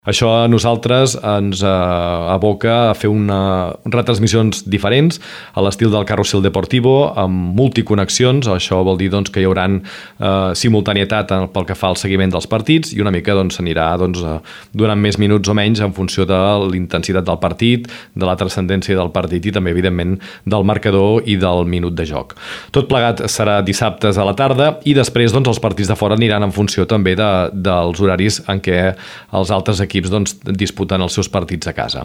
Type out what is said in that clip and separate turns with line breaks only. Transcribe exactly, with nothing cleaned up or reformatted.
Això a nosaltres ens eh, aboca a fer una, retransmissions diferents a l'estil del Carrusel Deportivo, amb multiconnexions. Això vol dir doncs, que hi haurà eh, simultanietat pel que fa al seguiment dels partits i una mica doncs, s'anirà doncs, eh, donant més minuts o menys en funció de l'intensitat del partit, de la transcendència del partit i també, evidentment, del marcador i del minut de joc. Tot plegat serà dissabtes a la tarda i després doncs, els partits de fora aniran en funció també de, dels horaris en què els altres equips equips doncs, disputen els seus partits a casa.